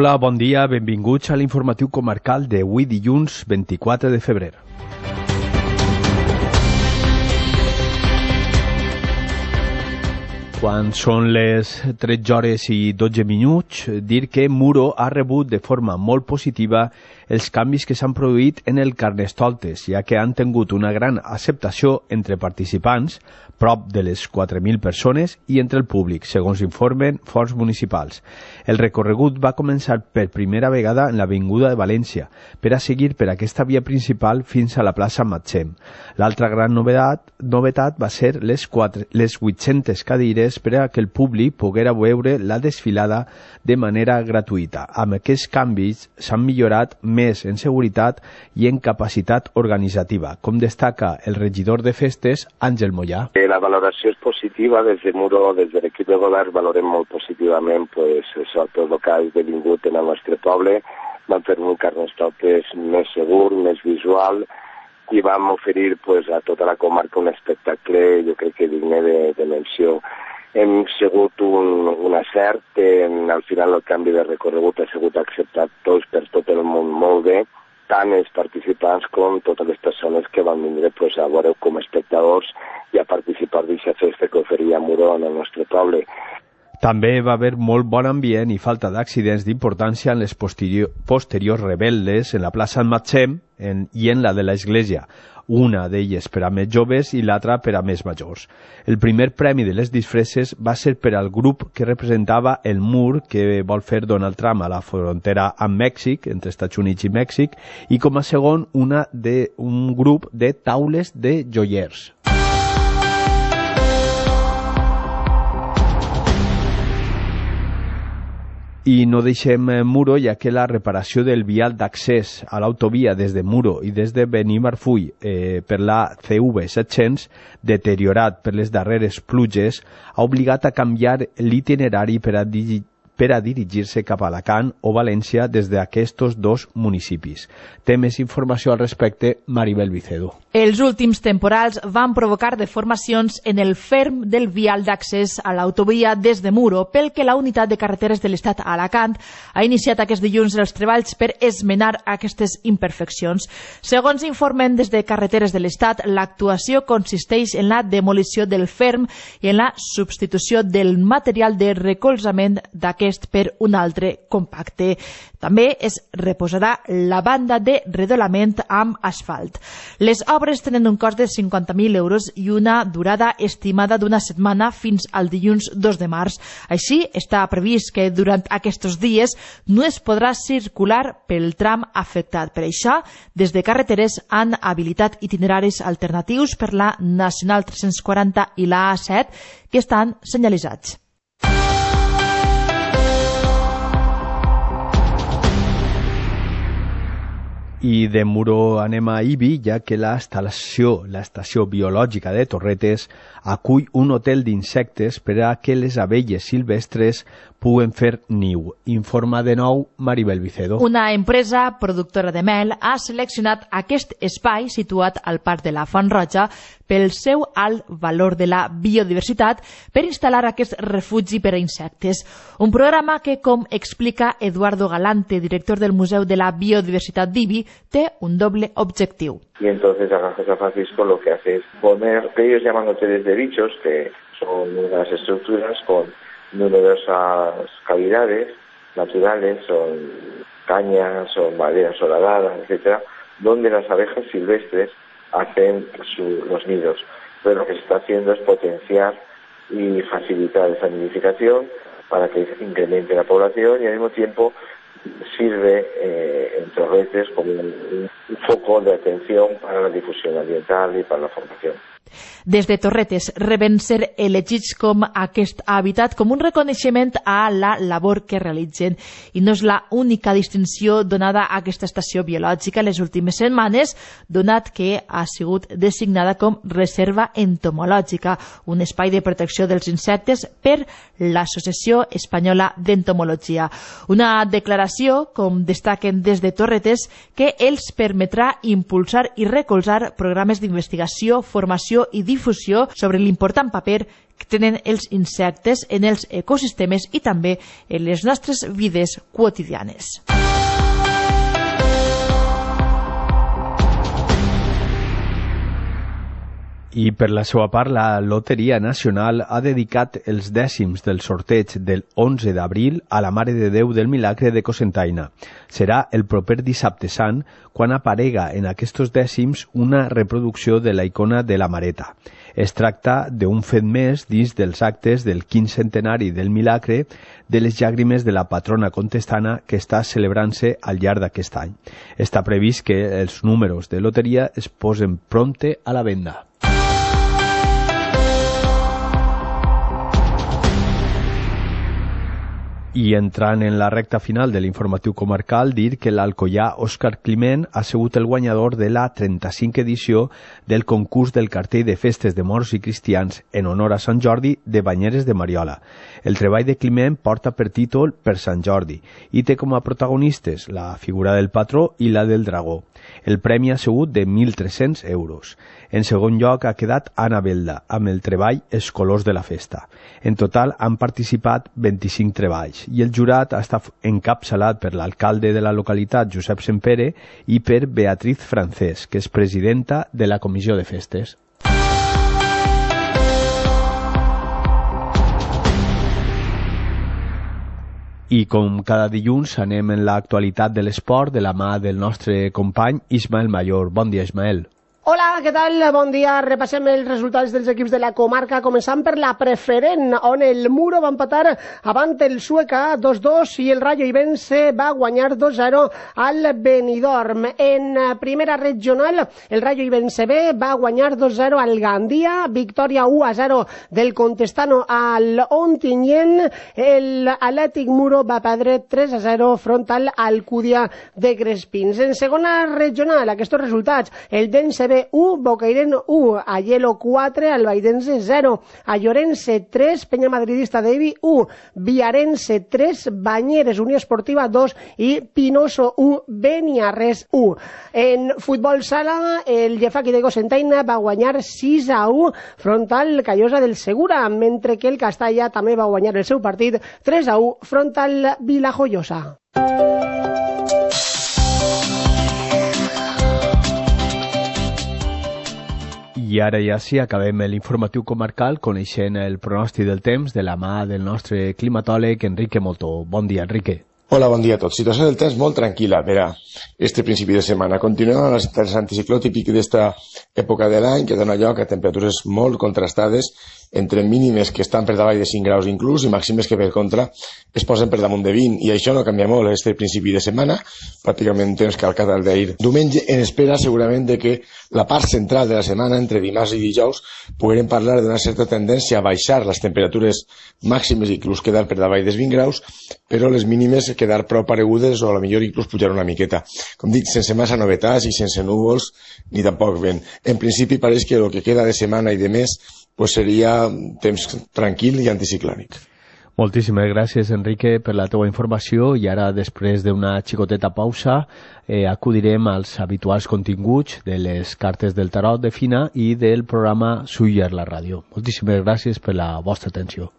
Hola, bon dia, benvinguts a l'informatiu comarcal d'avui dilluns 24 de febrer. Quan són les 13 hores i 12 minuts, dir que Muro ha rebut de forma molt positiva els canvis que s'han produït en el Carnestoltes, ja que han tingut una gran acceptació entre participants, prop de les 4.000 persones, i entre el públic, segons informen fonts municipals. El recorregut va començar per primera vegada en l'Avinguda de València, per a seguir per aquesta via principal fins a la plaça Matxem. L'altra gran novetat va ser les 800 cadires per a que el públic poguera veure la desfilada de manera gratuïta. Amb aquests canvis s'han millorat més en seguretat i en capacitat organitzativa, com destaca el regidor de festes, Àngel Mollà. La valoració és positiva. Des de Muro, des de l'equip de govern, valorem molt positivament tot el que ha esdevingut en el nostre poble. Vam fer un Carnestoltes més segur, més visual, i vam oferir a tota la comarca un espectacle, jo crec que digne de menció. Hem sigut un acert, al final el canvi de recorregut ha sigut acceptat per tot el món molt bé, tant els participants com totes les persones que van vindre a veure com a espectadors i a participar d'aquesta festa que oferia Muro en el nostre poble. També va haver molt bon ambient i falta d'accidents d'importància en les posteriors rebel·les en la plaça Matxem i en la de l'església, una d'elles per a més joves i l'altra per a més majors. El primer premi de les disfresses va ser per al grup que representava el mur que vol fer Donald Trump a la frontera amb Mèxic, entre Estats Units i Mèxic, i com a segon un grup de taules de joiers. I no deixem Muro, ja que la reparació del vial d'accés a l'autovia des de Muro i des de Benimarfull per la CV700, deteriorat per les darreres pluges, ha obligat a canviar l'itinerari per a dirigir-se cap a Alacant o València des d'aquests dos municipis. Té més informació al respecte Maribel Vicedo. Els últims temporals van provocar deformacions en el ferm del vial d'accés a l'autovia des de Muro, pel que la Unitat de Carreteres de l'Estat a Alacant ha iniciat aquest dilluns els treballs per esmenar aquestes imperfeccions. Segons informen des de Carreteres de l'Estat, l'actuació consisteix en la demolició del ferm i en la substitució del material de recolzament d'aquest per un altre compacte. També es reposarà la banda de redolament amb asfalt. Les obres tenen un cost de 50.000 euros i una durada estimada d'una setmana fins al dilluns 2 de març. Així, està previst que durant aquests dies no es podrà circular pel tram afectat. Per això, des de Carreteres han habilitat itineraris alternatius per la Nacional 340 i la A7 que estan senyalitzats. I de Muro anem a Ibi, ja que l'estació biològica de Torretes acull un hotel d'insectes per a que les abelles silvestres puguen fer niu. Informa de nou Maribel Vicedo. Una empresa productora de mel ha seleccionat aquest espai situat al Parc de la Font Roja pel seu alt valor de la biodiversitat per instal·lar aquest refugi per a insectes. Un programa que, com explica Eduardo Galante, director del Museu de la Biodiversitat d'Ibi, té un doble objectiu. Y entonces la Granja San Francisco lo que hace es poner, que ellos llaman hoteles de bichos, que son unas estructuras con numerosas cavidades naturales, son cañas, son maderas horadadas, etcétera, donde las abejas silvestres hacen los nidos. Pero lo que se está haciendo es potenciar y facilitar esa nidificación para que incremente la población y al mismo tiempo sirve en Torretes como un foco de atención para la difusión ambiental y para la formación. Des de Torretes reben ser elegits com aquest hàbitat com un reconeixement a la labor que realitzen. I no és la única distinció donada a aquesta estació biològica les últimes setmanes, donat que ha sigut designada com reserva entomològica, un espai de protecció dels insectes per l'Associació Espanyola d'Entomologia. Una declaració, com destaquen des de Torretes, que els permetrà impulsar i recolzar programes d'investigació, formació i difusió sobre l'important paper que tenen els insectes en els ecosistemes i també en les nostres vides quotidianes. I per la seva part, la Loteria Nacional ha dedicat els dècims del sorteig del 11 d'abril a la Mare de Déu del Milagre de Cocentaina. Serà el proper dissabte sant quan aparega en aquests dècims una reproducció de la icona de la Mareta. Es tracta d'un fet més dins dels actes del 15 centenari del Milagre de les llàgrimes de la patrona contestana que està celebrant-se al llarg d'aquest any. Està previst que els números de loteria es posen prompte a la venda. I entrant en la recta final de l'informatiu comarcal, dir que l'alcoià Òscar Climent ha sigut el guanyador de la 35 edició del concurs del cartell de festes de morts i cristians en honor a Sant Jordi de Banyeres de Mariola. El treball de Climent porta per títol Per Sant Jordi i té com a protagonistes la figura del patró i la del dragó. El premi ha sigut de 1.300 euros. En segon lloc ha quedat Anna Belda, amb el treball Els colors de la festa. En total han participat 25 treballs i el jurat ha estat encapçalat per l'alcalde de la localitat, Josep Sempere, i per Beatriz Francés, que és presidenta de la Comissió de Festes. I com cada dilluns anem en l'actualitat de l'esport de la mà del nostre company Ismael Mayor. Bon dia, Ismael. Hola, què tal? Bon dia. Repassem els resultats dels equips de la comarca, començant per la preferent, on el Muro va empatar avant el Sueca 2-2 i el Rayo Ibense va guanyar 2-0 al Benidorm. En primera regional, el Rayo Ibense B va guanyar 2-0 al Gandia, victòria 1-0 del Contestano al Ontinyent. El Atlètic Muro va perdre 3-0 front al Alcúdia de Crespins. En segona regional, aquests resultats, el Dense B 1, Bocairent 1, Aielo 4, Albaidense 0, Allorense 3, Penya Madridista d'Evi 1, Viarense 3, Banyeres Unió Esportiva 2 i Pinoso 1, Beniarrés 1. En futbol sala, el Llefaqui de Cocentaina va guanyar 6-1 front al Callosa del Segura, mentre que el Castalla també va guanyar el seu partit 3-1 front al Vilajoiosa. I ara ja sí, acabem l'informatiu comarcal coneixent el pronòstic del temps de la mà del nostre climatòleg Enrique Moltó. Bon dia, Enrique. Hola, bon dia a tots. Situació del temps molt tranquil·la per a este principi de setmana. Continuem amb l'anticicló típic d'esta època de l'any, que dona lloc a temperatures molt contrastades, entre mínimes que estan per davall de 5 graus inclús i màximes que per contra es posen per damunt de 20, i això no canvia molt este principi de setmana, pràcticament temps calcat al d'ahir. Diumenge, en espera segurament de que la part central de la setmana, entre dimarts i dijous, puguem parlar d'una certa tendència a baixar les temperatures màximes i inclús quedar per davall dels 20 graus, però les mínimes quedar prou paregudes o a la millor inclús pujar una miqueta. Com dic, sense massa novetats i sense núvols ni tampoc vent. En principi pareix que el que queda de setmana i de mes pues seria temps tranquil i anticiclònic. Moltíssimes gràcies, Enrique, per la teua informació, i ara, després d'una xicoteta pausa, acudirem als habituals continguts de les cartes del tarot de Fina i del programa Suyer la ràdio. Moltíssimes gràcies per la vostra atenció.